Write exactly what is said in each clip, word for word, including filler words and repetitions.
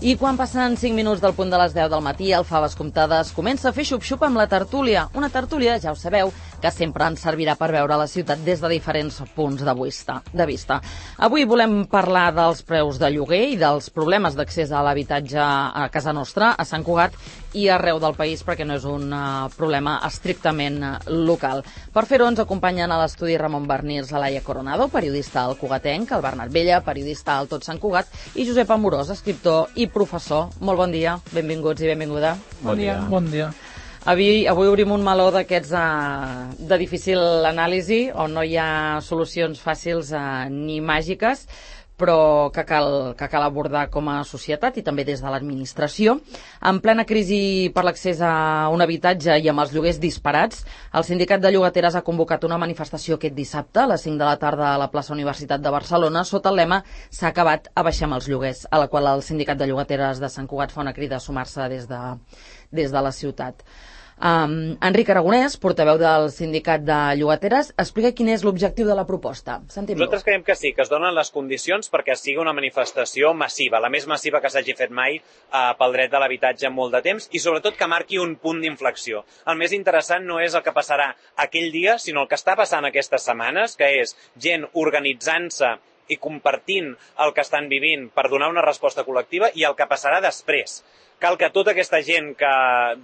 I quan passen cinc minuts del punt de les deu del matí, el Faves Comptades comença a fer xup-xup amb la tertúlia. Una tertúlia, ja ho sabeu, que sempre ens servirà per veure la ciutat des de diferents punts de vista. De vista. Avui volem parlar dels preus de lloguer i dels problemes d'accés a l'habitatge a casa nostra, a Sant Cugat i arreu del país, perquè no és un uh, problema estrictament uh, local. Per fer-ho ens acompanyen a l'estudi Ramon Barnirs, Laia Coronado, periodista al Cugatenc, el Bernat Vella, periodista al Tot Sant Cugat, i Josep Amorós, escriptor i professor. Molt bon dia, benvinguts i benvinguda. Bon dia. Bon dia. Avui, avui obrim un meló d'aquests uh, de difícil anàlisi, on no hi ha solucions fàcils uh, ni màgiques, però que cal, que cal abordar com a societat i també des de l'administració. En plena crisi per l'accés a un habitatge i amb els lloguers disparats, el Sindicat de Llogateres ha convocat una manifestació aquest dissabte a les cinc de la tarda a la plaça Universitat de Barcelona sota el lema "S'ha acabat, abaixem els lloguers", a la qual el Sindicat de Llogateres de Sant Cugat fa una crida a sumar-se des de, des de la ciutat. Um, Enric Aragonès, portaveu del Sindicat de Llogateres, explica quin és l'objectiu de la proposta. Sentim-lo. Nosaltres creiem que sí, que es donen les condicions perquè sigui una manifestació massiva, la més massiva que s'hagi fet mai uh, pel dret de l'habitatge en molt de temps i sobretot que marqui un punt d'inflexió. El més interessant no és el que passarà aquell dia, sinó el que està passant aquestes setmanes, que és gent organitzant-se i compartint el que estan vivint per donar una resposta col·lectiva i el que passarà després. Cal que tota aquesta gent que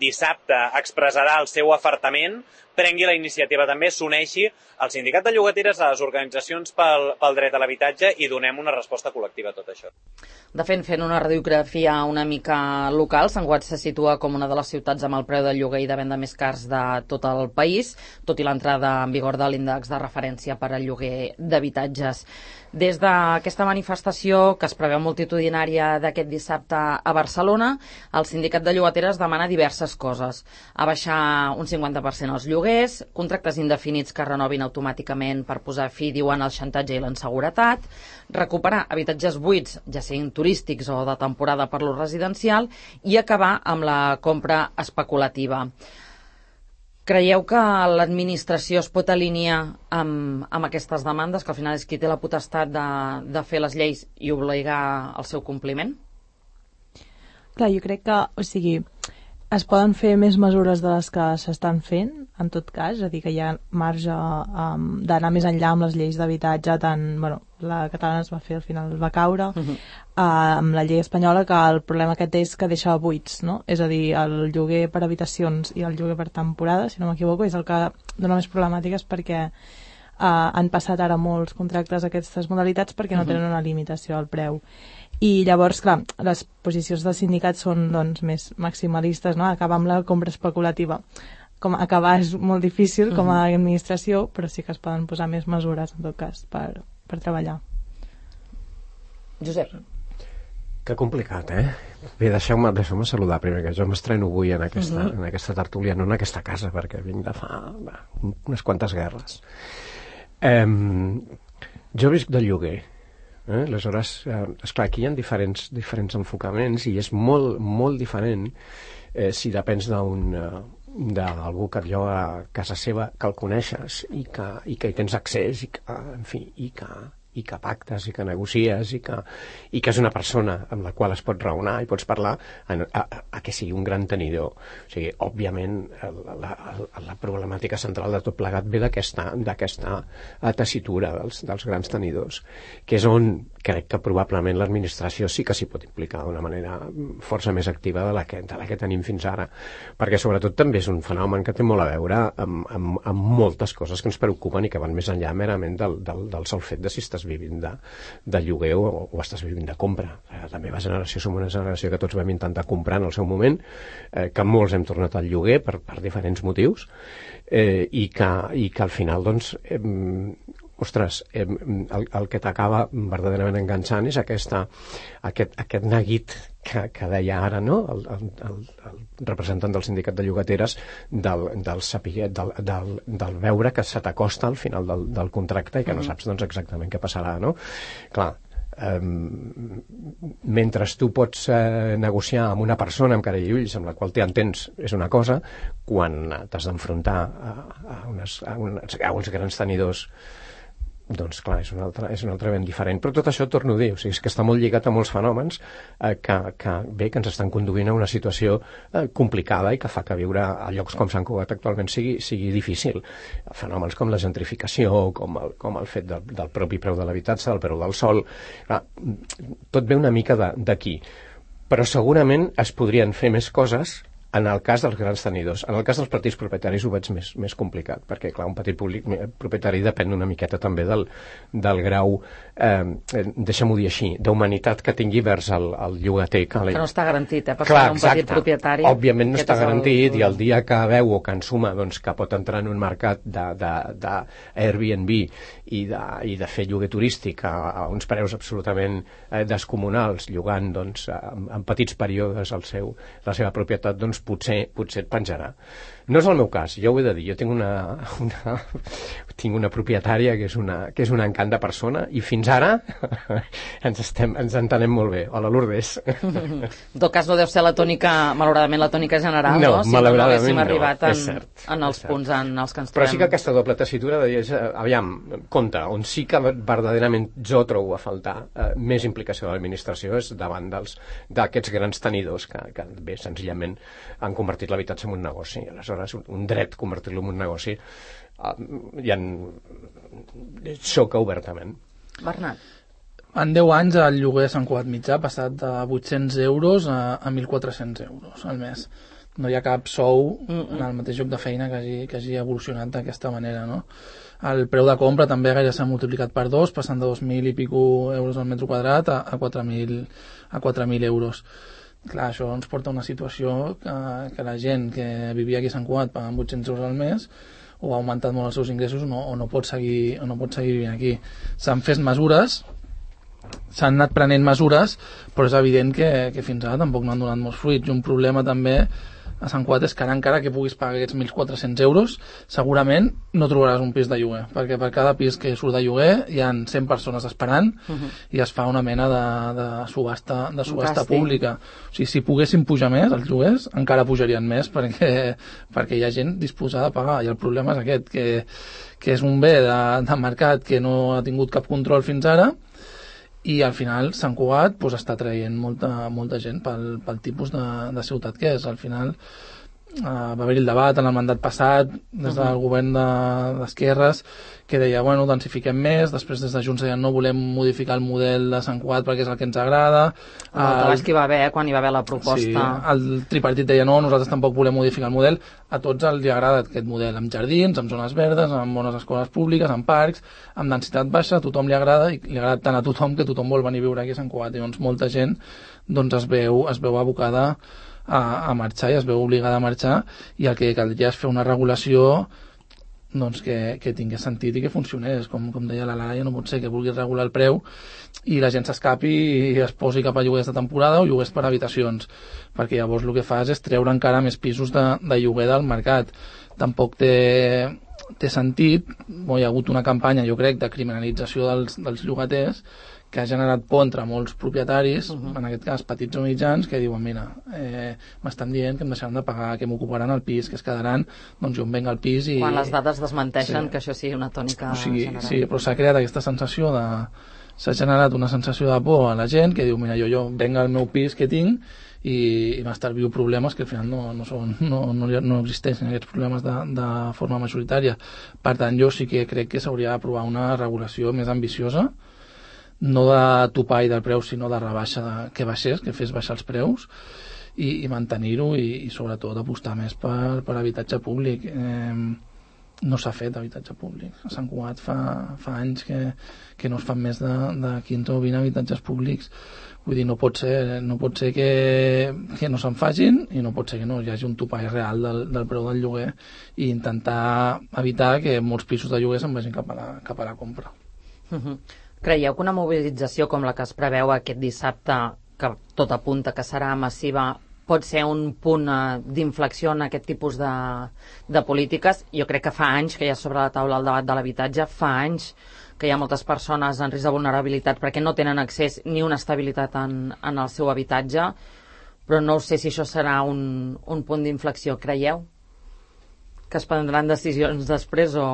dissabte expressarà el seu afartament prengui la iniciativa també, s'uneixi al Sindicat de Llogateres, a les organitzacions pel, pel dret a l'habitatge i donem una resposta col·lectiva a tot això. De fet, fent una radiografia una mica local, Sant Cugat se situa com una de les ciutats amb el preu del lloguer i de venda més cars de tot el país, tot i l'entrada en vigor de l'índex de referència per al lloguer d'habitatges. Des d'aquesta manifestació, que es preveu multitudinària d'aquest dissabte a Barcelona, el Sindicat de Llogateres demana diverses coses. Abaixar un cinquanta per cent els lloguers, contractes indefinits que renovin automàticament per posar fi, diuen, al xantatge i l'inseguretat, recuperar habitatges buits, ja siguin turístics o de temporada per l'ús residencial, i acabar amb la compra especulativa. Creieu que l'administració es pot alinear amb, amb aquestes demandes, que al final és qui té la potestat de, de fer les lleis i obligar al seu compliment? Clar, jo crec que, o sigui, es poden fer més mesures de les que s'estan fent, en tot cas, és a dir, que hi ha marge um, d'anar més enllà amb les lleis d'habitatge, tant, bueno, la catalana es va fer, al final va caure, uh -huh. uh, amb la llei espanyola, que el problema aquest és que deixa buits, no? És a dir, el lloguer per habitacions i el lloguer per temporada, si no m'equivoco, és el que dona més problemàtiques perquè uh, han passat ara molts contractes a aquestes modalitats perquè no tenen una limitació al preu. I llavors, clar, les posicions del sindicat són, doncs, més maximalistes, no? Acabar amb la compra especulativa. Com acabar és molt difícil com a administració, però sí que es poden posar més mesures, en tot cas, per, per treballar. Josep. Que complicat, eh? Bé, deixeu-me deixeu saludar primer, que jo m'estreno avui en aquesta, uh -huh. en aquesta tertúlia, no en aquesta casa, perquè vinc de fa va, unes quantes guerres. Eh, jo visc del lloguer. Eh? Aleshores, eh, esclar, aquí hi ha diferents, diferents enfocaments i és molt, molt diferent eh, si depens d'un uh, d'algú que et lloga a casa seva, que el coneixes i que, i que hi tens accés i que, en fi, i que, i que pactes i que negocies i que, i que és una persona amb la qual es pot raonar i pots parlar a, a, a que sigui un gran tenidor. O sigui, òbviament la, la, la problemàtica central de tot plegat ve d'aquesta d'aquesta tessitura dels, dels grans tenidors, que és on crec que probablement l'administració sí que s'hi pot implicar d'una manera força més activa de la que, de la que tenim fins ara, perquè sobretot també és un fenomen que té molt a veure amb, amb, amb moltes coses que ens preocupen i que van més enllà merament del, del, del sol fet de si estàs vivint de, de lloguer o, o estàs vivint de compra. La meva generació som una generació que tots vam intentar comprar en el seu moment, eh, que molts hem tornat al lloguer per, per diferents motius, eh, i, que, i que al final, doncs, eh, ostres, eh, el, el que t'acaba verdaderament enganxant és aquesta, aquest, aquest neguit que, que deia ara, no?, el, el, el, el representant del Sindicat de Llogateres, del, del, saber, del, del, del veure que se t'acosta al final del, del contracte i que no saps, doncs, exactament què passarà, no? Clar, Um, mentre tu pots uh, negociar amb una persona amb cara i ulls amb la qual t'entens és una cosa, quan t'has d'enfrontar a, a, unes, a, unes, a uns grans tenidors doncs clar, és un altre, és un altre ben diferent. Però tot això torno a dir, o sigui, és que està molt lligat a molts fenòmens eh, que, que, bé, que ens estan conduint a una situació eh, complicada i que fa que viure a llocs com Sant Cugat actualment sigui, sigui difícil. Fenòmens com la gentrificació, com el, com el fet del, del propi preu de l'habitatge, del preu del sol, clar, tot ve una mica d'aquí. Però segurament es podrien fer més coses en el cas dels grans tenidors. En el cas dels petits propietaris ho veig més, més complicat, perquè clar, un petit públic, propietari depèn una miqueta també del, del grau, eh, deixa'm-ho dir així, d'humanitat que tingui vers el, el llogater. Que, que no està garantit, eh, per clar, un petit propietari. Òbviament no està garantit el... i el dia que veu o que ensuma doncs, que pot entrar en un mercat d'Airbnb i de, i de fer lloguer turístic a, a uns preus absolutament eh, descomunals, llogant doncs, en, en petits períodes el seu, la seva propietat, doncs potser, potser et penjarà. No és el meu cas, jo ho he de dir, jo tinc una, una, tinc una propietària que és, una, que és un encant de persona i fins ara ens, estem, ens entenem molt bé. Hola, Lourdes. En tot cas no deu ser la tònica, malauradament la tònica general, no? No, Si malauradament no haguéssim no, arribat en, cert, en els punts en els que ens trobem. Però sí que aquesta doble tessitura de dir, aviam, compte, on sí que verdaderament jo trobo a faltar eh, més implicació de l'administració és davant d'aquests grans tenidors que, que bé, senzillament han convertit l'habitatge en un negoci. Aleshores, un, un dret convertir-lo en un negoci uh, ja en... xoca obertament. Bernat. En deu anys el lloguer a Sant Cugat mitjà ha passat de vuit-cents euros a, a mil quatre-cents euros al mes. No hi ha cap sou en el mateix lloc de feina que hagi, que hagi evolucionat d'aquesta manera, no? El preu de compra també gaire s'ha multiplicat per dos, passant de dos mil i pico euros al metre quadrat a, a quatre mil euros. Clar, això ens porta a una situació que, que la gent que vivia aquí a Sant Cugat pagant vuit-cents euros al mes o ha augmentat molt els seus ingressos no, o, no pot seguir, o no pot seguir vivint aquí. S'han fet mesures, s'han anat prenent mesures, però és evident que, que fins ara tampoc no han donat molts fruits. I un problema també a Sant Cugat és que ara encara que puguis pagar aquests mil quatre-cents euros segurament no trobaràs un pis de lloguer, perquè per cada pis que surt de lloguer hi ha cent persones esperant uh-huh. i es fa una mena de, de subhasta, de subhasta pública. O sigui, si poguessin pujar més els lloguers encara pujarien més perquè, perquè hi ha gent disposada a pagar, i el problema és aquest, que, que és un bé de, de mercat que no ha tingut cap control fins ara, i al final Sant Cugat pues, està traient molta, molta gent pel, pel tipus de, de ciutat que és. Al final uh, va haver-hi el debat en el mandat passat des del uh-huh. govern d'esquerres de, que deia, bueno, densifiquem més, després des de Junts deien no volem modificar el model de Sant Cugat perquè és el que ens agrada. El debat que hi va haver quan hi va haver la proposta. Sí, el tripartit deia no, nosaltres tampoc volem modificar el model. A tots els agrada aquest model, amb jardins, amb zones verdes, amb bones escoles públiques, amb parcs, amb densitat baixa, a tothom li agrada i li agrada tant a tothom que tothom vol venir a viure aquí a Sant Cugat, i doncs molta gent doncs es veu, es veu abocada a, a marxar i es veu obligada a marxar, i el que caldria és fer una regulació doncs que, que tingués sentit i que funcionés, com, com deia la Laia, no pot ser que vulguis regular el preu i la gent s'escapi i es posi cap a lloguers de temporada o lloguers per habitacions, perquè llavors el que fas és treure encara més pisos de, de lloguer del mercat. Tampoc té, té sentit, bo, hi ha hagut una campanya, jo crec, de criminalització dels, dels llogaters que ha generat por entre molts propietaris, uh-huh. en aquest cas petits o mitjans, que diuen, mira, eh, m'estan dient que em deixaran de pagar, que m'ocuparan el pis, que es quedaran, doncs jo em venc al pis i... Quan les dades desmenteixen sí. que això sigui una tònica o sigui, general. Sí, però s'ha creat aquesta sensació de... s'ha generat una sensació de por a la gent que diu, mira, jo, jo venc al meu pis que tinc i, i m'estalvio problemes que al final no, no, són, no, no, no existeixen aquests problemes de, de forma majoritària. Per tant, jo sí que crec que s'hauria d'aprovar una regulació més ambiciosa, no de topar i del preu, sinó de rebaixa, de, que baixés, que fes baixar els preus i, i mantenir-ho i, i sobretot apostar més per, per habitatge públic. Eh, no s'ha fet habitatge públic. A Sant Cugat fa, fa anys que, que no es fan més de, de quinze o vint habitatges públics. Vull dir, no pot ser, no pot ser que, que no se'n facin i no pot ser que no hi hagi un topall real del, del preu del lloguer i intentar evitar que molts pisos de lloguer se'n vagin cap a la, cap a la compra. Uh-huh. Creieu que una mobilització com la que es preveu aquest dissabte, que tot apunta que serà massiva, pot ser un punt uh, d'inflexió en aquest tipus de, de polítiques? Jo crec que fa anys que hi ha sobre la taula el debat de l'habitatge, fa anys que hi ha moltes persones en risc de vulnerabilitat perquè no tenen accés ni una estabilitat en, en el seu habitatge, però no sé si això serà un, un punt d'inflexió. Creieu que es prendran decisions després o,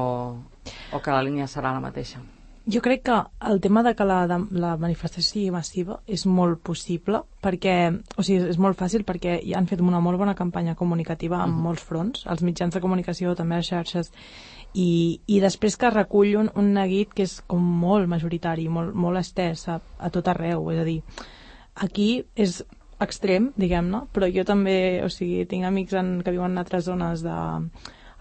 o que la línia serà la mateixa? Jo crec que el tema de que la, de, la manifestació sigui massiva és molt possible, perquè, o sigui, és molt fàcil perquè ja han fet una molt bona campanya comunicativa en uh-huh. molts fronts, els mitjans de comunicació, també les xarxes, i, i després que recull un, un neguit que és com molt majoritari, molt, molt estès a, a tot arreu, és a dir, aquí és extrem, diguem-ne, però jo també, o sigui, tinc amics en, que viuen en altres zones de...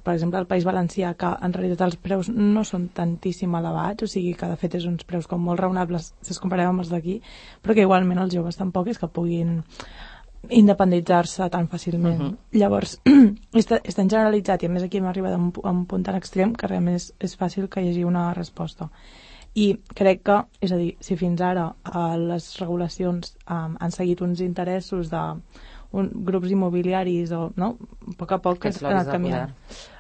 per exemple, al País Valencià, que en realitat els preus no són tantíssim elevats, o sigui que de fet és uns preus com molt raonables si es comparem amb els d'aquí, però que igualment els joves tampoc és que puguin independitzar-se tan fàcilment. Uh-huh. Llavors, és, és tan generalitzat, i a més aquí hem arribat a un, a un punt tan extrem que realment és, és fàcil que hi hagi una resposta. I crec que, és a dir, si fins ara eh, les regulacions eh, han seguit uns interessos de un, grups immobiliaris o, no? A poc a poc que han anat canviant.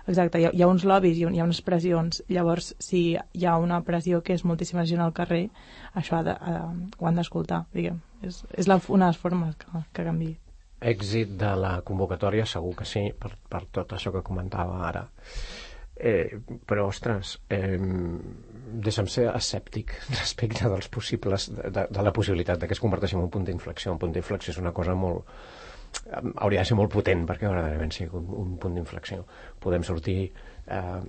Exacte, hi ha, hi ha uns lobbies, hi ha, hi ha unes pressions, llavors si hi ha una pressió que és moltíssima gent al carrer, això ha de, ha, ho han d'escoltar, diguem. És, és la, una de les formes que, que canvi. Èxit de la convocatòria segur que sí, per, per tot això que comentava ara. Eh, però, ostres, eh, deixa'm ser escèptic respecte dels possibles, de, de, de la possibilitat de que es converteixi en un punt d'inflexió. Un punt d'inflexió és una cosa molt... hauria de ser molt potent perquè verdaderament sigui un, un punt d'inflexió. Podem sortir eh,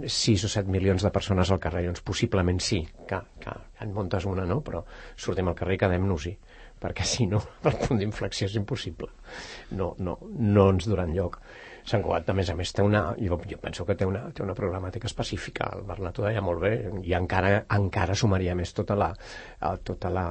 sis o set milions de persones al carrer, doncs possiblement sí, que, que en muntes una, no? Però sortim al carrer i quedem-nos-hi, perquè si no, el punt d'inflexió és impossible. No, no, no ens durà enlloc. Sant Cugat, a més a més, té una, jo, jo penso que té una, té una problemàtica específica. El Bernat ho deia molt bé, i encara, encara sumaria més tota la, tota la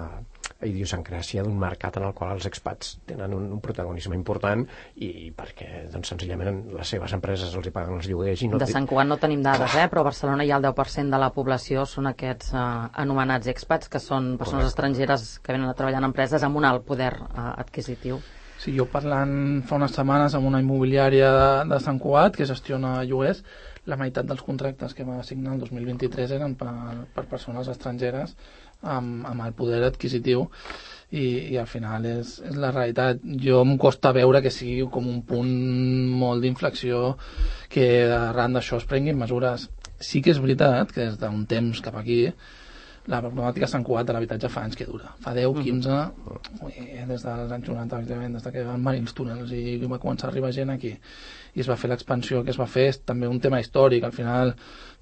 idiosincràsia d'un mercat en el qual els expats tenen un, un protagonisme important i perquè, doncs, senzillament les seves empreses els hi paguen els lloguers i no... De Sant Cugat no tenim dades, eh? Però a Barcelona ja el deu per cent de la població són aquests eh, anomenats expats, que són persones Correcte. estrangeres que venen a treballar en empreses amb un alt poder eh, adquisitiu. Sí, jo parlant fa unes setmanes amb una immobiliària de, de Sant Cugat que gestiona lloguers, la meitat dels contractes que va signar el dos mil vint-i-tres eren per, per persones estrangeres amb, amb el poder adquisitiu i, i al final és, és la realitat. Jo em costa veure que sigui com un punt molt d'inflexió, que arran d'això es prenguin mesures. Sí que és veritat que des d'un temps cap aquí la problemàtica a Sant Cugat de l'habitatge fa anys que dura. Fa deu, quinze, ui, des dels anys noranta, des que van venir els túnels i va començar a arribar gent aquí. I es va fer l'expansió que es va fer, és també un tema històric. Al final,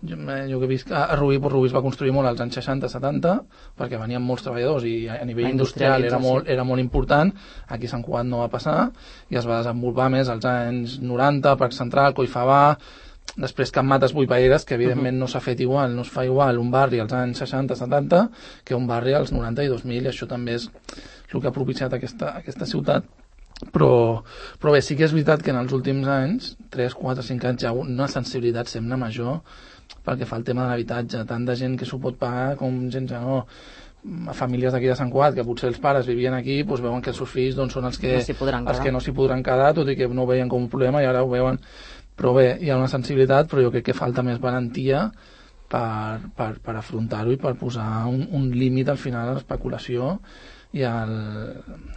jo, jo que he vist a Rubí, pues Rubí es va construir molt als anys seixanta setanta, perquè venien molts treballadors i a nivell industrial era molt, era molt important. Aquí a Sant Cugat no va passar i es va desenvolupar més als anys noranta, Parc Central, Collfabà, després Can Mates, Boipaeres, que evidentment no s'ha fet igual, no es fa igual un barri als anys seixanta setanta que un barri als noranta i dos mil, i això també és el que ha propiciat aquesta, aquesta ciutat. Però, però bé, sí que és veritat que en els últims anys, tres, quatre, cinc anys, hi ha una sensibilitat sempre major pel que fa al tema de l'habitatge, tant de gent que s'ho pot pagar com gent que no. A famílies d'aquí de Sant Cugat, que potser els pares vivien aquí, doncs veuen que els seus fills doncs, són els que no s'hi podran, no podran quedar, tot i que no ho veien com un problema i ara ho veuen. Però bé, hi ha una sensibilitat, però jo crec que falta més valentia per, per, per afrontar-ho i per posar un, un límit al final a l'especulació i al,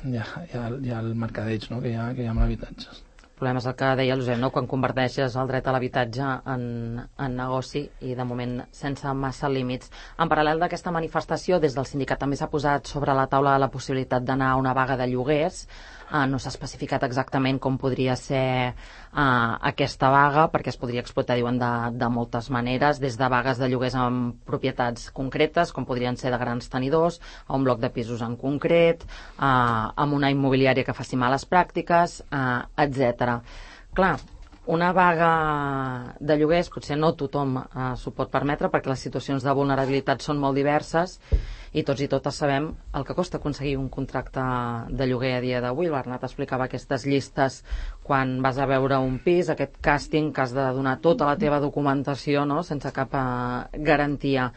i, a, i, al, i al mercadeig, no? que, hi ha, que hi ha amb l'habitatge. El problema és el que deia l'Josep, no? Quan converteixes el dret a l'habitatge en, en negoci i de moment sense massa límits. En paral·lel d'aquesta manifestació, des del sindicat també s'ha posat sobre la taula la possibilitat d'anar a una vaga de lloguers. Uh, no s'ha especificat exactament com podria ser uh, aquesta vaga, perquè es podria explotar, diuen, de, de moltes maneres, des de vagues de lloguers amb propietats concretes, com podrien ser de grans tenidors, a un bloc de pisos en concret, uh, amb una immobiliària que faci males pràctiques, uh, etcètera. Clar, una vaga de lloguers potser no tothom uh, s'ho pot permetre, perquè les situacions de vulnerabilitat són molt diverses i tots i totes sabem el que costa aconseguir un contracte de lloguer a dia d'avui. El Bernat explicava aquestes llistes quan vas a veure un pis, aquest càsting que has de donar tota la teva documentació, no? Sense cap uh, garantia.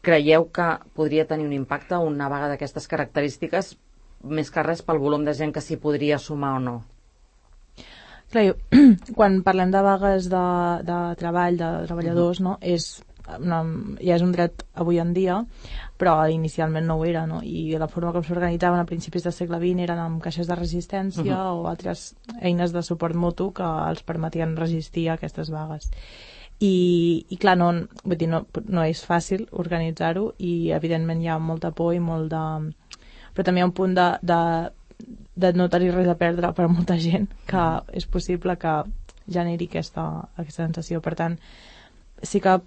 Creieu que podria tenir un impacte una vaga d'aquestes característiques, més que res pel volum de gent que s'hi podria sumar o no? Clar, jo, quan parlem de vagues de, de treball, de treballadors, no, és, una, ja és un dret avui en dia, però inicialment no ho era, no? I la forma com s'organitzaven a principis del segle vint eren amb caixes de resistència uh-huh. o altres eines de suport mutu que els permetien resistir a aquestes vagues. i, i clar, no, vull dir, no, no és fàcil organitzar-ho i evidentment hi ha molta por i molt de... però també hi ha un punt de, de, de no tenir res a perdre per a molta gent, que és possible que generi aquesta, aquesta sensació. Per tant, sí que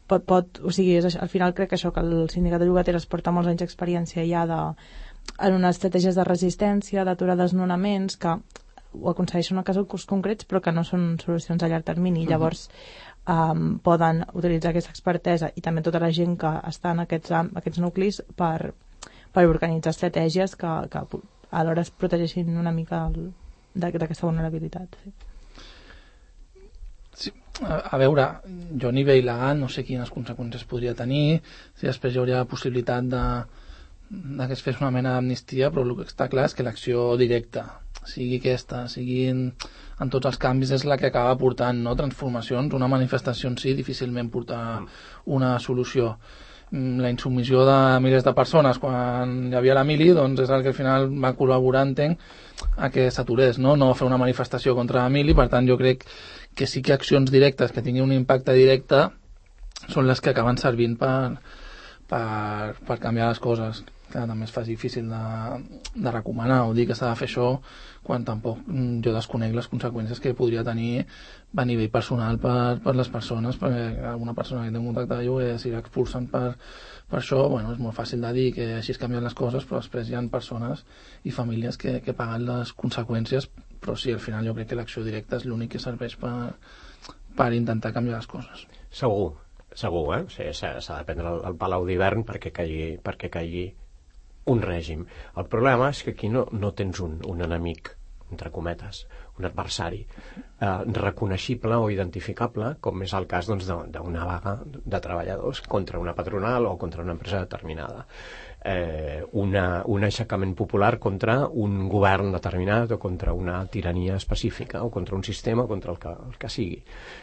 pot, pot o sigui, és, al final crec que això, que el sindicat de llogateres porta molts anys d'experiència ja de, en unes estratègies de resistència, d'aturar desnonaments, que ho aconsegueixen en casos concrets però que no són solucions a llarg termini. Uh-huh. Llavors um, poden utilitzar aquesta expertesa i també tota la gent que està en aquests, aquests nuclis per, per organitzar estratègies que, que alhora es protegeixin una mica d'aquesta vulnerabilitat. Sí. Sí, a, a veure, jo a nivell legal no sé quines conseqüències podria tenir, si després hi hauria la possibilitat de, de que es fes una mena d'amnistia, però el que està clar és que l'acció directa, sigui aquesta, sigui en, en tots els canvis, és la que acaba portant, no, transformacions. Una manifestació en si difícilment porta una solució. La insubmissió de milers de persones quan hi havia la mili, doncs és el que al final va col·laborar, entenc, a que s'aturés, no? No fer una manifestació contra la mili. Per tant, jo crec que sí que accions directes que tinguin un impacte directe són les que acaben servint per, per, per canviar les coses. Clar, també es fa difícil de, de recomanar o dir que s'ha de fer això quan tampoc jo desconec les conseqüències que podria tenir a nivell personal per, per les persones, perquè alguna persona que té un contacte de lloguer si l'expulsen per, per això, bueno, és molt fàcil de dir que així es canvien les coses, però després hi ha persones i famílies que, que paguen les conseqüències. Però sí, al final jo crec que l'acció directa és l'únic que serveix per, per intentar canviar les coses. Segur, segur, eh? O sigui, s'ha, s'ha de prendre el, el palau d'hivern perquè caigui, perquè caigui un règim. El problema és que aquí no, no tens un, un enemic, entre cometes, un adversari eh, reconeixible o identificable, com és el cas doncs, d'una vaga de treballadors contra una patronal o contra una empresa determinada. Eh, una, un aixecament popular contra un govern determinat o contra una tirania específica o contra un sistema o contra el que, el que sigui.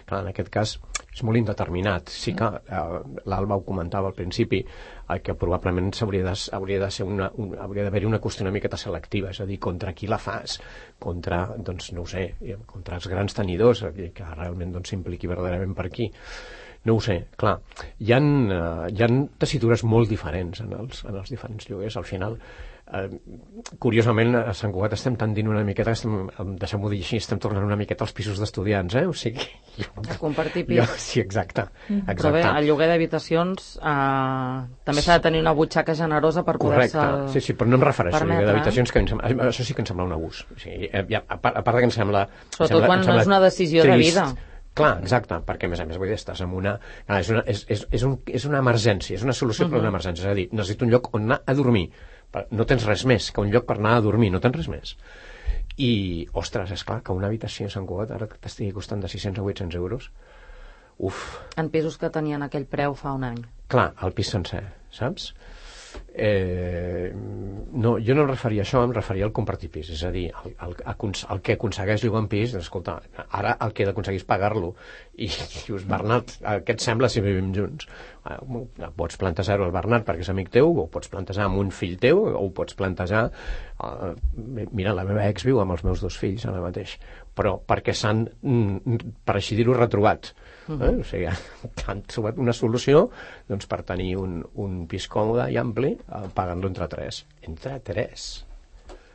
Clar, en aquest cas és molt indeterminat. Sí que eh, l'Alba ho comentava al principi, eh, que probablement hauria de, hauria de ser una, un, hauria d'haver-hi una qüestió una miqueta selectiva, és a dir, contra qui la fas, contra, doncs no ho sé, contra els grans tenidors, que realment doncs, s'impliqui verdaderament per aquí. No ho sé, clar, hi ha, uh, hi ha tessitures molt diferents en els, en els diferents lloguers. Al final, uh, curiosament, a Sant Cugat estem tendint una miqueta, estem, deixem-ho dir així, estem tornant una miqueta als pisos d'estudiants, eh? O sigui... Jo, a compartir pis. Jo, sí, exacte, exacte. Però bé, el lloguer d'habitacions uh, també s'ha de tenir una butxaca generosa per poder-se... Correcte, sí, sí, però no em refereixo permetre, al lloguer d'habitacions, que em sembla, això sí que em sembla un abús. O sigui, ja, a, part, a part que em sembla... Sobretot em sembla, quan em sembla no és una decisió trist. De vida. Clar, exacte, perquè a més a més vull dir, estàs en una... Clar, és, una és, és, és, un, és una emergència, és una solució uh-huh. per a una emergència, és a dir, necessito un lloc on anar a dormir, no tens res més que un lloc per anar a dormir, no tens res més. I, ostres, és clar que una habitació a Sant Cugat ara t'estigui costant de sis-cents a vuit-cents euros, uf. En pisos que tenien aquell preu fa un any. Clar, el pis sencer, saps? Eh, no, jo no em referia a això, em referia al compartir pis, és a dir, el, el, el que aconsegueix llogar en pis, escolta, ara el que he d'aconseguir és pagar-lo i dius, Bernat, què et sembla si vivim junts? Eh, pots plantejar-ho al Bernat perquè és amic teu, o pots plantejar amb un fill teu, o pots plantejar eh, mira, la meva ex viu amb els meus dos fills ara mateix, però perquè s'han, per així dir-ho, retrobat. Eh? O sigui, han trobat una solució doncs, per tenir un, un pis còmode i ampli eh, pagant-lo entre tres. Entre tres.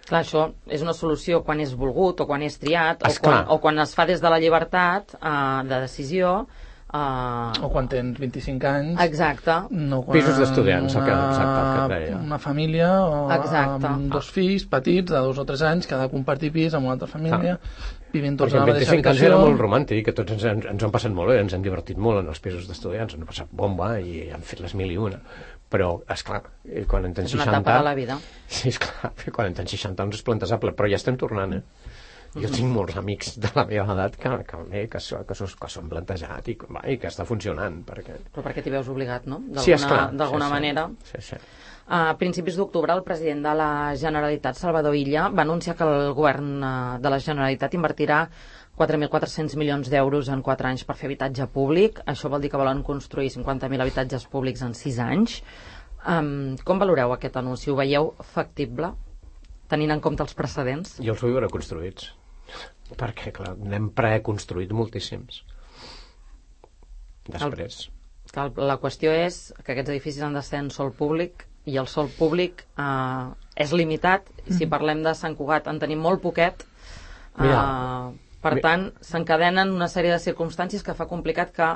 Clar, això és una solució quan és volgut o quan és triat o quan, o quan es fa des de la llibertat eh, de decisió. Uh... O quan tens vint-i-cinc anys. Exacte. No quan pisos d'estudiants, el que, exacte, el que et deia. Una família o exacte. Amb dos fills petits de dos o tres anys que ha de compartir pis amb una altra família, ah. vivint tots perquè a la mateixa vint-i-cinc anys habitació. Era molt romàntic, que tots ens, ens, ens ho han passat molt bé, ens hem divertit molt en els pisos d'estudiants, ens han passat bomba i han fet les mil i una. Però, esclar, quan en tens seixanta... És una etapa de la vida. Sí, esclar, quan en tens seixanta anys és plantejable, però ja estem tornant, eh? Jo tinc molts amics de la meva edat que, que, que, que, que, que s'ho han plantejat i, va, i que està funcionant. Perquè... Però perquè t'hi veus obligat, no? Sí, esclar. D'alguna sí, manera. Sí, sí. A principis d'octubre, el president de la Generalitat, Salvador Illa, va anunciar que el govern de la Generalitat invertirà quatre mil quatre-cents milions d'euros en quatre anys per fer habitatge públic. Això vol dir que volen construir cinquanta mil habitatges públics en sis anys. Um, com valoreu aquest anunci? Ho veieu factible, tenint en compte els precedents? Jo els vull veure construïts, perquè, clar, n'hem preconstruït moltíssims. després. El, la qüestió és que aquests edificis han de ser en sòl públic i el sòl públic eh, és limitat. I si parlem de Sant Cugat en tenim molt poquet. Eh, per tant, s'encadenen una sèrie de circumstàncies que fa complicat que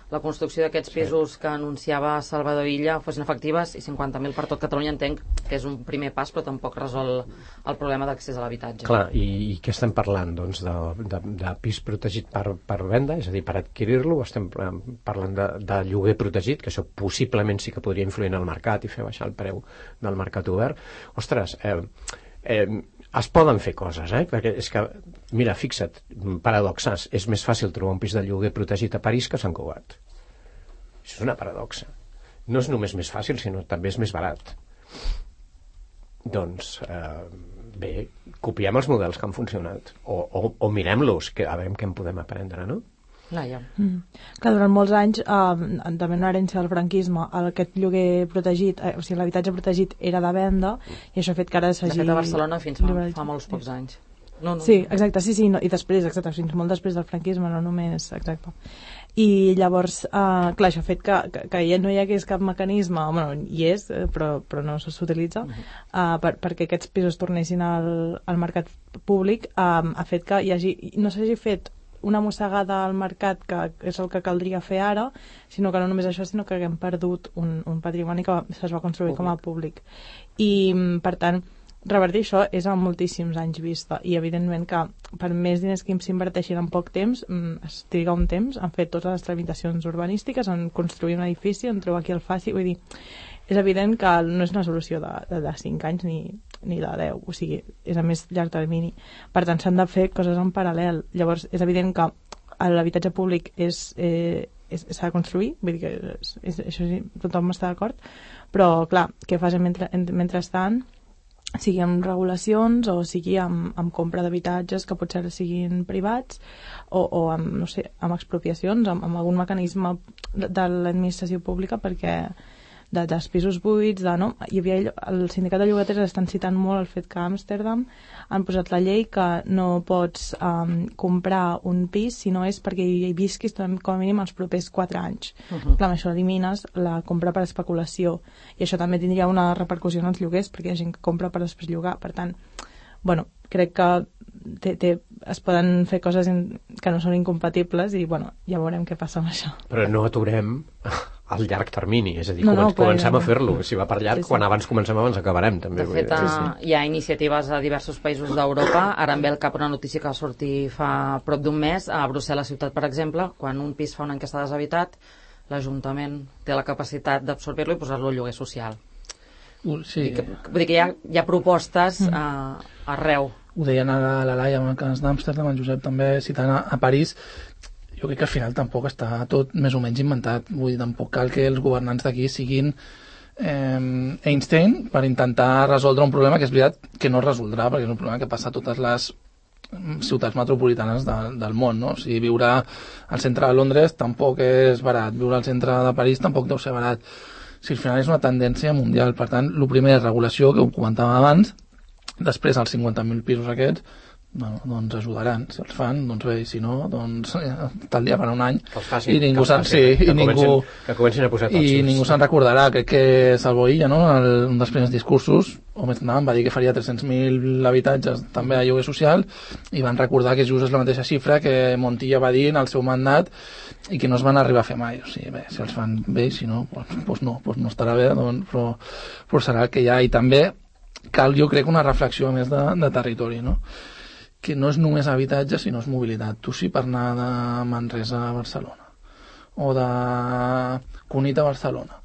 la construcció d'aquests pisos que anunciava Salvador Illa fossin efectives, i cinquanta mil per tot Catalunya entenc que és un primer pas, però tampoc resol el problema d'accés a l'habitatge. Clar, i, i què estem parlant? Doncs de, de, de pis protegit per, per venda, és a dir, per adquirir-lo, estem parlant de, de lloguer protegit, que això possiblement sí que podria influir en el mercat i fer baixar el preu del mercat obert. Ostres, eh, eh, es poden fer coses, eh? Perquè és que, mira, fixa't, paradoxes, és més fàcil trobar un pis de lloguer protegit a París que a Sant Cugat. Això és una paradoxa. No és només més fàcil, sinó també és més barat. Doncs, eh, bé, copiem els models que han funcionat, o, o, o mirem-los, que a veure què en podem aprendre, no? Laia. Mm. Clar, durant molts anys, eh, també una herència del franquisme, aquest lloguer protegit, eh, o sigui, l'habitatge protegit era de venda, i això ha fet que ara s'hagi... De fet, a Barcelona fins fa, fa molts pocs anys. No, no, sí, exacte, sí, sí, no, i després, exacte, fins molt després del franquisme, no només, exacte. I llavors, eh, clar, això ha fet que, que, que ja no hi hagués cap mecanisme, bueno, hi és, però, però no s'utilitza, uh-huh. eh, per, perquè aquests pisos tornessin al, al mercat públic, eh, ha fet que hi hagi, no s'hagi fet una mossegada al mercat, que és el que caldria fer ara, sinó que no només això, sinó que haguem perdut un, un patrimoni que es va construir públic. Com a públic. I, per tant, revertir això és a moltíssims anys vista, i evidentment que per més diners que s'inverteixin en poc temps, es triga un temps, han fet totes les tramitacions urbanístiques, en construir un edifici, en trobar qui el faci, vull dir, és evident que no és una solució de, de, de cinc anys ni, ni de deu, o sigui, és a més llarg termini. Per tant, s'han de fer coses en paral·lel. Llavors, és evident que l'habitatge públic és, eh, és, s'ha de construir, vull dir que és, és, això sí, tothom està d'acord, però, clar, què fas mentre, mentrestant, sigui amb regulacions o sigui amb, amb compra d'habitatges que potser siguin privats o, o amb, no sé, amb expropiacions, amb, amb algun mecanisme de, de l'administració pública, perquè de, dels pisos buits, de, no? Hi havia, el sindicat de llogaters estan citant molt el fet que a Amsterdam han posat la llei que no pots um, comprar un pis si no és perquè hi visquis com a mínim els propers quatre anys. Uh-huh. Clar, amb això elimines la compra per especulació, i això també tindria una repercussió en els lloguers, perquè hi ha gent que compra per després llogar. Per tant, bueno, crec que té, té, es poden fer coses in, que no són incompatibles, i bueno, ja veurem què passa amb això. Però no aturem al llarg termini, és a dir, no, no, comencem clar, a fer-lo, si va per llarg, sí, sí. Quan abans comencem abans acabarem també. De fet, sí, sí. Hi ha iniciatives a diversos països d'Europa. Ara em ve al cap una notícia que va sortir fa prop d'un mes a Brussel·les ciutat, per exemple, quan un pis fa un any que està deshabitat, l'Ajuntament té la capacitat d'absorbir-lo i posar-lo al lloguer social. Uh, sí. Vull dir que, vull dir que hi ha, hi ha propostes mm. uh, arreu. Ho deien ara la Laia amb el cas d'Amsterdam, el Josep també citant a, a París. Jo crec que al final tampoc està tot més o menys inventat. Vull dir, tampoc cal que els governants d'aquí siguin eh, Einstein per intentar resoldre un problema que és veritat que no es resoldrà, perquè és un problema que passa a totes les ciutats metropolitanes de, del món, no? O sigui, viure al centre de Londres tampoc és barat, viure al centre de París tampoc deu ser barat. O sigui, al final és una tendència mundial. Per tant, el primer és regulació, que ho comentàvem abans, després els cinquanta mil pisos aquests, bueno, doncs ajudaran, si els fan, doncs bé, i si no, doncs tal dia per un any, facin, i ningú se'n sí, que, i ningú que comencin a posar tots i ningú se'n recordarà. Crec que Salvo Illa, no, el, un dels primers discursos, o més endavant, va dir que faria tres-cents mil habitatges també a lloguer social, i van recordar que just és la mateixa xifra que Montilla va dir en el seu mandat i que no es van arribar a fer mai. O sigui, bé, si els fan bé, si no, doncs, doncs no, doncs no estarà bé, doncs, però, però serà el que hi ha. I també cal, jo crec, una reflexió més de, de territori, no? Que no és només habitatge, sinó és mobilitat. Tu sí, per anar de Manresa a Barcelona, o de Cunit a Barcelona,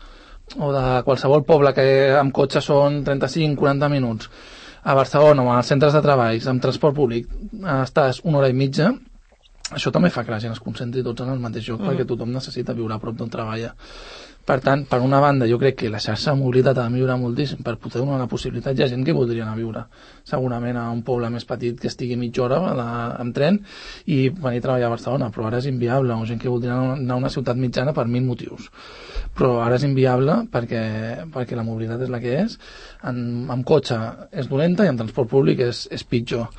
o de qualsevol poble que amb cotxe són trenta-cinc a quaranta minuts, a Barcelona, o als centres de treballs, amb transport públic, estàs una hora i mitja, això també fa que la gent es concentri tots en el mateix lloc, mm. perquè tothom necessita viure a prop d'on treballa. Per tant, per una banda, jo crec que la xarxa de mobilitat ha de millorar moltíssim per poder donar la possibilitat. Hi ha gent que voldria anar a viure segurament a un poble més petit que estigui mitja hora de, amb tren i venir a treballar a Barcelona, però ara és inviable. O gent que voldria anar a una ciutat mitjana per mil motius, però ara és inviable perquè, perquè la mobilitat és la que és. En, amb cotxe és dolenta i en transport públic és, és pitjor.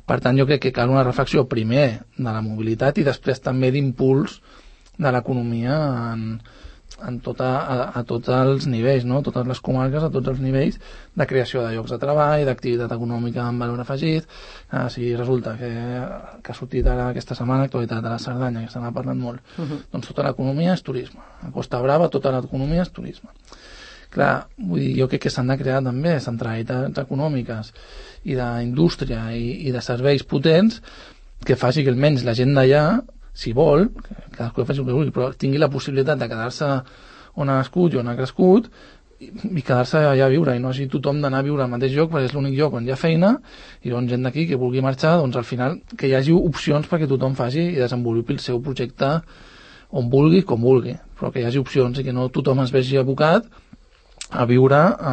Per tant, jo crec que cal una reflexió primer de la mobilitat i després també d'impuls de l'economia en, en tota, a, a tots els nivells, no? Totes les comarques, a tots els nivells de creació de llocs de treball, d'activitat econòmica amb valor afegit. Ah, si resulta que, que ha sortit ara aquesta setmana l'actualitat de la Cerdanya, que se n'ha parlat molt, uh-huh. doncs tota l'economia és turisme. A Costa Brava tota l'economia és turisme. Clar, vull dir, jo crec que s'han de crear també centralitats econòmiques i d'indústria i, i de serveis potents que faci que almenys la gent d'allà, si vol, que cadascú faci el que vulgui, però tingui la possibilitat de quedar-se on ha nascut i on ha crescut i, i quedar-se allà a viure, i no hagi tothom d'anar a viure al mateix lloc perquè és l'únic lloc on hi ha feina, i llavors gent d'aquí que vulgui marxar, doncs al final que hi hagi opcions perquè tothom faci i desenvolupi el seu projecte on vulgui, com vulgui, però que hi hagi opcions i que no tothom es vegi abocat a viure a,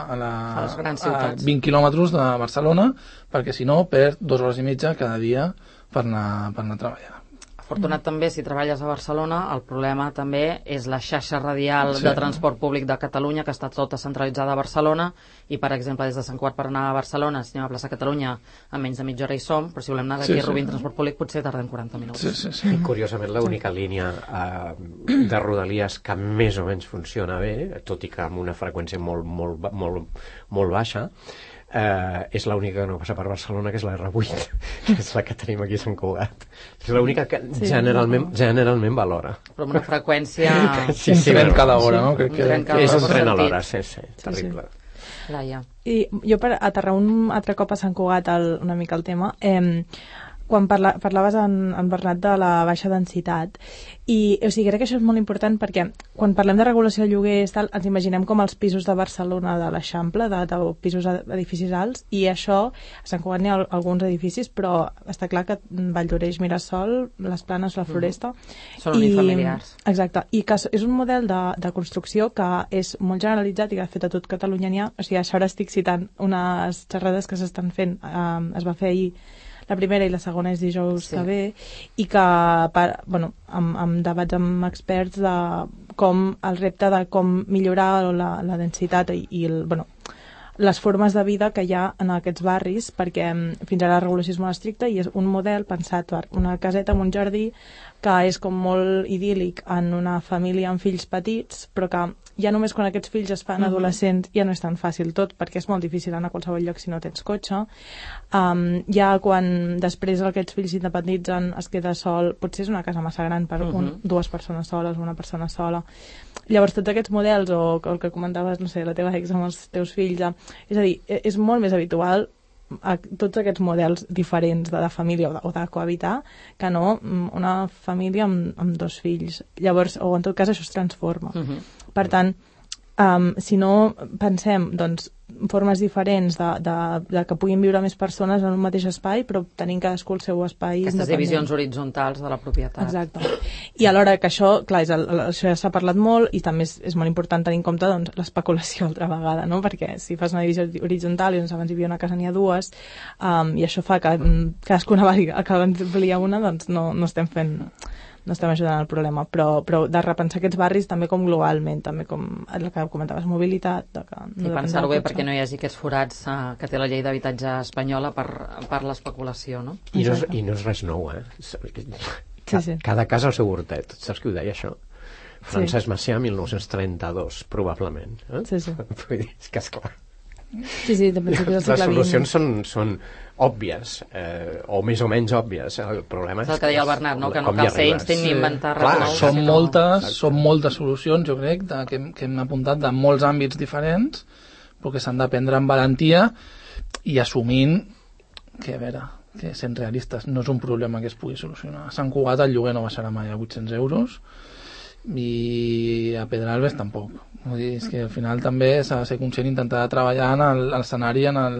a, la, a, les grans a vint quilòmetres de Barcelona, perquè si no perd dues hores i mitja cada dia per anar, per anar a treballar. Afortunat també, si treballes a Barcelona, el problema també és la xarxa radial sí. de transport públic de Catalunya, que està tota centralitzada a Barcelona, i per exemple des de Sant Cugat per anar a Barcelona, si anem a plaça Catalunya, a menys de mitja hora hi som, però si volem anar d'aquí sí, a Rubí en sí. transport públic potser tardem quaranta minuts. Sí, sí, sí. I curiosament l'única sí. línia eh, de Rodalies que més o menys funciona bé, tot i que amb una freqüència molt, molt, molt, molt baixa, Uh, és l'única que no passa per Barcelona, que és la erre vuit, que és la que tenim aquí a Sant Cugat. És l'única que sí, generalment, generalment valora. Però amb una freqüència... sí, sí, un tren cada hora, no? Crec que, un que és un tren a l'hora, sí, sí, terrible. Sí, sí. Laia. I jo per aterrar un altre cop a Sant Cugat el, una mica el tema, eh, quan parla, parlaves en, en Bernat de la baixa densitat, i o sigui, crec que això és molt important perquè quan parlem de regulació de lloguers tal, ens imaginem com els pisos de Barcelona de l'Eixample, de, de pisos edificis alts, i això, a Sant Cugat n'hi ha alguns edificis, però està clar que Valldoreix, Mirasol, les Planes, la Floresta... Mm. Són unifamiliars. I, exacte, i que és un model de, de construcció que és molt generalitzat i que de fet a tot Catalunya n'hi ha. O sigui, això ara estic citant unes xerrades que s'estan fent, eh, es va fer ahir la primera i la segona és dijous sí. que ve, i que, per, bueno, amb, amb debats amb experts de com el repte de com millorar la, la densitat i, i el, bueno, les formes de vida que hi ha en aquests barris, perquè fins ara la regulació és molt estricta i és un model pensat per una caseta amb un jardí que és com molt idíl·lic en una família amb fills petits, però que ja només quan aquests fills es fan adolescents ja no és tan fàcil tot, perquè és molt difícil anar a qualsevol lloc si no tens cotxe. Um, ja quan després aquests fills s'independitzen es queda sol, potser és una casa massa gran per un, dues persones soles o una persona sola. Llavors tots aquests models, o el que comentaves, no sé, la teva ex amb els teus fills, és a dir, és molt més habitual a tots aquests models diferents de, de família o de, o de cohabitar que no una família amb, amb dos fills. Llavors, o en tot cas això es transforma. Uh-huh. Per tant, um, si no pensem doncs, formes diferents de, de, de que puguin viure més persones en un mateix espai, però tenint cadascú el seu espai Aquestes independent. divisions horitzontals de la propietat. Exacte. I alhora que això, clar, és el, això ja s'ha parlat molt i també és, és molt important tenir en compte doncs, l'especulació altra vegada, no? Perquè si fas una divisió horitzontal i doncs abans hi havia una casa n'hi ha dues, um, i això fa que cadascuna va acabar d'ampliar una, doncs no, no estem fent... no estem ajudant al problema, però, però de repensar aquests barris també com globalment, també com el que comentaves, mobilitat, de que no i pensar-ho bé perquè no hi hagi aquests forats eh, que té la llei d'habitatge espanyola per, per l'especulació, no? I no, és, I no és res nou, eh? Ca, sí, sí. Cada casa al seu hortet, saps qui ho deia, això? Francesc sí. Macià, mil nou-cents trenta-dos, probablement. Eh? Sí, sí. Vull dir, és que esclar. Sí, sí, de principis del segle les solucions són, són òbvies, eh, o més o menys òbvies. El problema és, és el que deia el Bernat, no? Que no cal ser Einstein ni inventar res nou. Són moltes, són moltes solucions, jo crec, de, que, que hem apuntat de molts àmbits diferents, però que s'han de prendre amb valentia i assumint que, a veure, que sent realistes, no és un problema que es pugui solucionar. A Sant Cugat el lloguer no baixarà mai a vuit-cents euros, i a Pedralbes tampoc. Vull dir, és que al final també s'ha de ser conscient, intentar treballar en l'escenari en el,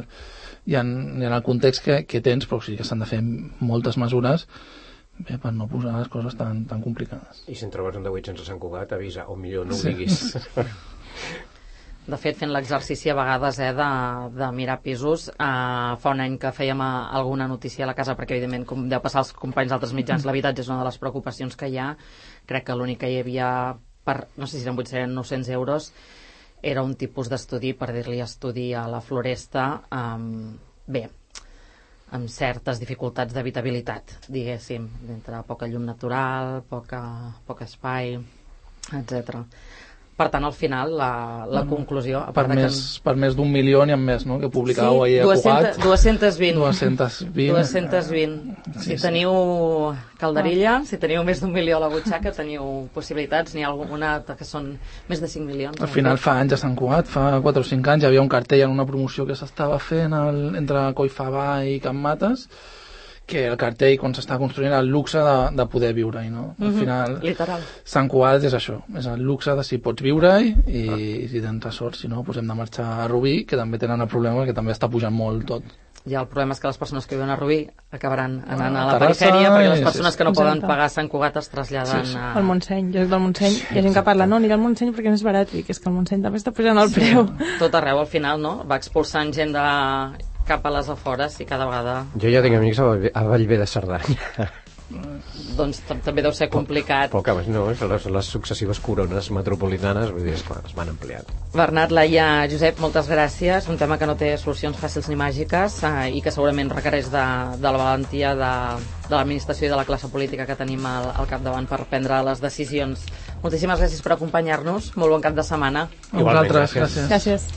i en, en el context que, que tens, però sí que s'han de fer moltes mesures bé, per no posar les coses tan, tan complicades. I si en trobes un de vuit-cents a Sant Cugat, avisa, o millor no ho diguis. Sí. De fet, fent l'exercici a vegades eh, de, de mirar pisos, eh, fa un any que fèiem a, alguna notícia a la casa, perquè evidentment, com deu passar als companys d'altres mitjans, l'habitatge és una de les preocupacions que hi ha. Crec que l'únic que hi havia, per, no sé si eren vuit-cents o nou-cents euros, era un tipus d'estudi, per dir-li estudi a la Floresta. Um, bé, amb certes dificultats d'habitabilitat, diguéssim, entre poca llum natural, poca, poc espai, etcètera. Per tant, al final, la, la bueno, conclusió... Per més, que... per més d'un milió n'hi ha més, no?, que publicàveu sí, ahir a Cugat. dues-centes vint. dues-centes vint. dues-centes vint. Si sí, teniu calderilla, si teniu més d'un milió a la butxaca, teniu possibilitats. N'hi ha alguna que són més de cinc milions. Al final fa anys a Sant Cugat, fa quatre o cinc anys, hi havia un cartell en una promoció que s'estava fent el, entre Collfabà i Can Mates, que el cartell, quan s'està construint, el luxe de, de poder viure-hi, no? Al final, mm-hmm, literal. Sant Cugat és això, és el luxe de si pots viure-hi i, ah. i si tens sort, si no, doncs hem de marxar a Rubí, que també tenen el problema que també està pujant molt tot. I el problema és que les persones que viuen a Rubí acabaran anant a la perifèria, perquè les persones que no poden pagar Sant Cugat es traslladen sí, sí. a... Al Montseny, jo soc del Montseny, sí, hi ha gent que parla, no, anirà al Montseny perquè no és barat, i que és que el Montseny també està pujant el sí. preu. Tot arreu, al final, no? Va expulsant gent de... cap a les afores i cada vegada... Jo ja tinc amics a Vallvé de Cerdanya. Doncs també deu ser complicat. Poc, poc no, les, les successives corones metropolitanes, vull dir, esclar, es van ampliant. Bernat, Laia, Josep, moltes gràcies. Un tema que no té solucions fàcils ni màgiques eh, i que segurament requereix de, de la valentia de, de l'administració i de la classe política que tenim al, al capdavant per prendre les decisions. Moltíssimes gràcies per acompanyar-nos. Molt bon cap de setmana. A vosaltres, gràcies. Gràcies.